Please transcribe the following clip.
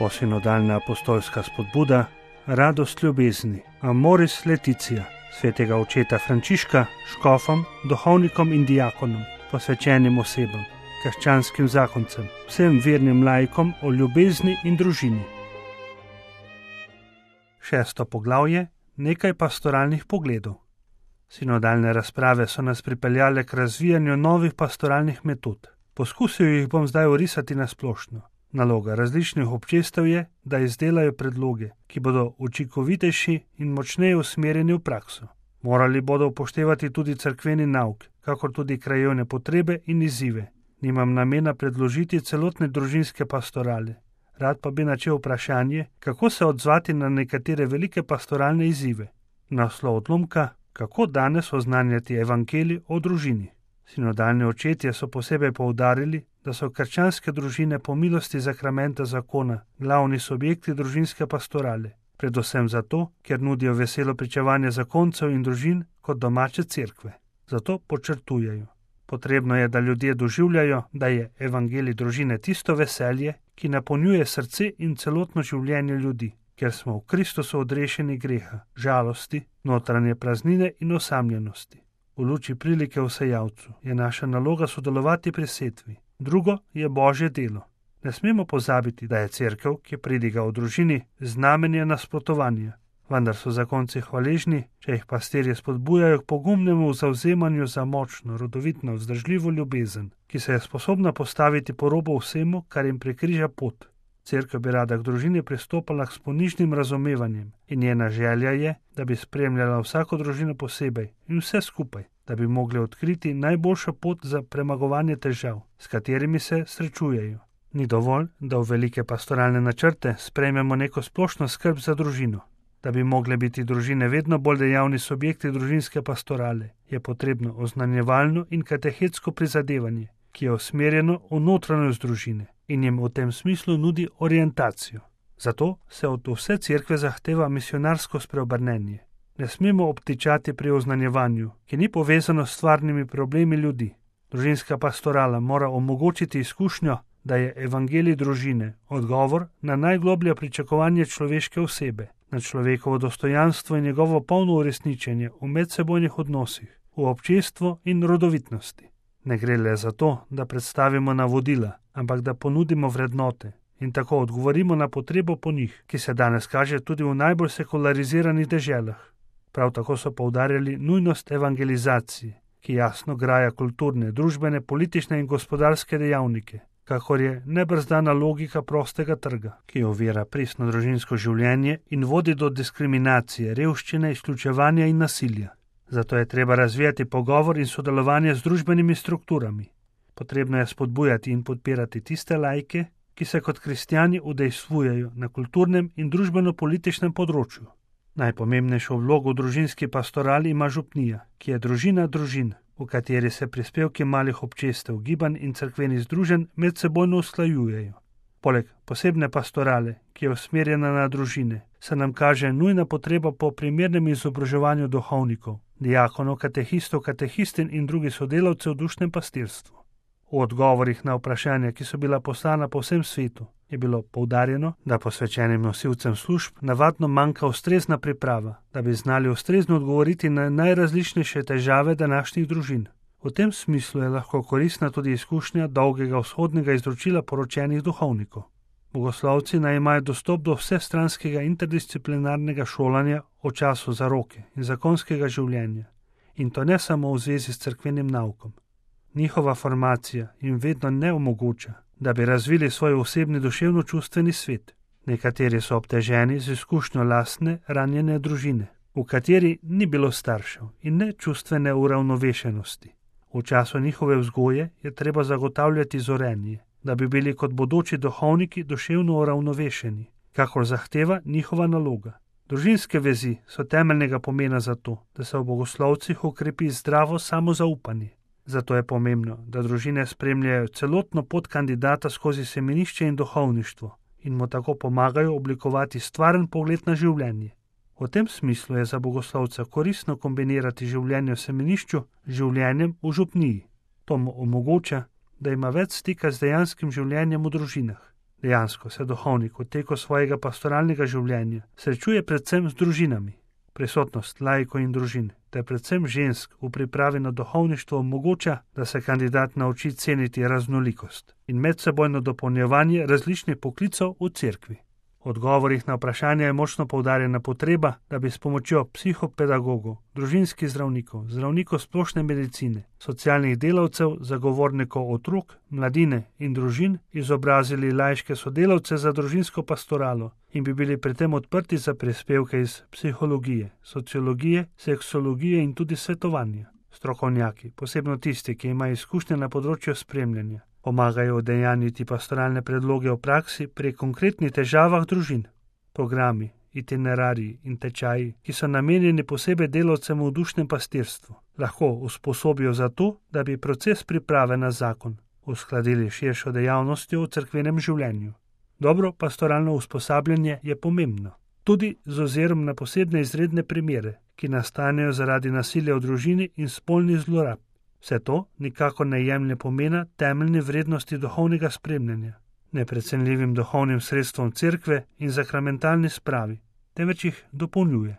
Novosinodalna apostolska spodbuda, radost ljubezni, Amoris Laetitia, svetega očeta Frančiška, škofom, duhovnikom in diakonom, posvečenim osebam, krščanskim zakoncem, vsem vernim laikom o ljubezni in družini. 6. poglavje, nekaj pastoralnih pogledov. Sinodalne razprave so nas pripeljale k razvijanju novih pastoralnih metod. Poskusil jih bom zdaj orisati na splošno. Naloga različnih občestev je, da izdelajo predloge, ki bodo učinkovitejši in močneje usmerjeni v prakso. Morali bodo upoštevati tudi cerkveni nauk, kakor tudi krajevne potrebe in izzive. Nimam namena predložiti celotne družinske pastorale. Rad pa bi načel vprašanje, kako se odzvati na nekatere velike pastoralne izzive. Naslov odlomka, kako danes oznanjati evangelij o družini. Sinodalni očetje so posebej poudarili, da so krščanske družine po milosti zakramenta zakona glavni subjekti družinske pastorale, predvsem zato, ker nudijo veselo pričevanje zakoncev in družin kot domače cerkve. Zato podčrtujejo. Potrebno je, da ljudje doživljajo, da je evangelij družine tisto veselje, ki napolnjuje srce in celotno življenje ljudi, ker smo v Kristusu odrešeni greha, žalosti, notranje praznine in osamljenosti. V luči prilike v sejavcu je naša naloga sodelovati pri setvi. Drugo je Božje delo. Ne smemo pozabiti, da je cerkev, ki pridiga o družini, znamenje nasprotovanja. Vendar so zakonci hvaležni, če jih pastirji spodbujajo k pogumnemu zavzemanju za močno, rodovitno, vzdržljivo ljubezen, ki se je sposobna postaviti po robu vsemu, kar jim prekriža pot. Cerkev bi rada k družini pristopala s ponižnim razumevanjem in njena želja je, da bi spremljala vsako družino posebej in vse skupaj, da bi mogli odkriti najboljšo pot za premagovanje težav, s katerimi se srečujejo. Ni dovolj, da v velike pastoralne načrte sprejmemo neko splošno skrb za družino. Da bi mogle biti družine vedno bolj dejavni subjekti družinske pastorale, je potrebno oznanjevalno in katehetsko prizadevanje, ki je usmerjeno v notranjost družine in jim v tem smislu nudi orientacijo. Zato se od vse cerkve zahteva misionarsko spreobrnenje. Ne smemo obtičati pri oznanjevanju, ki ni povezano s stvarnimi problemi ljudi. Družinska pastorala mora omogočiti izkušnjo, da je evangelij družine odgovor na najgloblje pričakovanje človeške osebe, na človekovo dostojanstvo in njegovo polno uresničenje v medsebojnih odnosih, v občestvu in rodovitnosti. Ne gre le za to, da predstavimo navodila, ampak da ponudimo vrednote in tako odgovorimo na potrebo po njih, ki se danes kaže tudi v najbolj sekulariziranih deželah. Prav tako so poudarjali nujnost evangelizacije, ki jasno graja kulturne, družbene, politične in gospodarske dejavnike, kakor je nebrzdana logika prostega trga, ki ovira pristno družinsko življenje in vodi do diskriminacije, revščine, izključevanja in nasilja. Zato je treba razvijati pogovor in sodelovanje z družbenimi strukturami. Potrebno je spodbujati in podpirati tiste laike, ki se kot kristjani udejstvujejo na kulturnem in družbeno-političnem področju. Najpomembnejšo vlogo v družinski pastorali ima župnija, ki je družina družin, v kateri se prispevki malih občestev, gibanj in cerkvenih združenj medsebojno usklajujejo. Poleg posebne pastorale, ki je usmerjena na družine, se nam kaže nujna potreba po primernem izobraževanju duhovnikov, diakonov, katehistov, katehistin in drugih sodelavcev v dušnem pastirstvu. V odgovorih na vprašanja, ki so bila poslana po vsem svetu, je bilo poudarjeno, da posvečenim nosilcem služb navadno manjka ustrezna priprava, da bi znali ustrezno odgovoriti na najrazličnejše težave današnjih družin. V tem smislu je lahko koristna tudi izkušnja dolgega vzhodnega izročila poročenih duhovnikov. Bogoslovci naj imajo dostop do vsestranskega interdisciplinarnega šolanja o času zaroke in zakonskega življenja, in to ne samo v zvezi s cerkvenim naukom. Njihova formacija jim vedno ne omogoča, da bi razvili svoj osebni duševno-čustveni svet. Nekateri so obteženi z izkušnjo lastne, ranjene družine, v kateri ni bilo staršev in ne čustvene uravnovešenosti. V času njihove vzgoje je treba zagotavljati zorenje, da bi bili kot bodoči duhovniki duševno uravnovešeni, kakor zahteva njihova naloga. Družinske vezi so temeljnega pomena za to, da se v bogoslovcih ukrepi zdravo samozaupanje. Zato je pomembno, da družine spremljajo celotno pot kandidata skozi semenišče in duhovništvo in mu tako pomagajo oblikovati stvaren pogled na življenje. V tem smislu je za bogoslovca koristno kombinirati življenje v semenišču z življenjem v župniji. To mu omogoča, da ima več stika z dejanskim življenjem v družinah. Dejansko se duhovnik v teku svojega pastoralnega življenja srečuje predvsem z družinami. Prisotnost laikov in družin, ter predvsem žensk v pripravi na duhovništvo omogoča, da se kandidat nauči ceniti raznolikost in medsebojno dopolnjevanje različnih poklicev v cerkvi. V odgovorih na vprašanja je močno poudarjena potreba, da bi s pomočjo psihopedagogov, družinskih zdravnikov, zdravnikov splošne medicine, socialnih delavcev, zagovornikov otrok, mladine in družin izobrazili laiške sodelavce za družinsko pastoralo in bi bili pri tem odprti za prispevke iz psihologije, sociologije, seksologije in tudi svetovanja. Strokovnjaki, posebno tisti, ki imajo izkušnje na področju spremljanja, pomagajo udejanjiti pastoralne predloge v praksi pri konkretnih težavah družin. Programi, itinerariji in tečaji, ki so namenjeni posebej delavcem v dušnem pastirstvu, lahko usposobijo za to, da bi proces priprave na zakon uskladili širšo dejavnostjo v cerkvenem življenju. Dobro pastoralno usposabljanje je pomembno, tudi z ozirom na posebne izredne primere, ki nastanejo zaradi nasilja v družini in spolnih zlorab. Vse to nikakor ne jemlje pomena temeljne vrednosti duhovnega spremljanja, neprecenljivim duhovnim sredstvom cerkve in sakramentalni spravi, temveč jih dopolnjuje.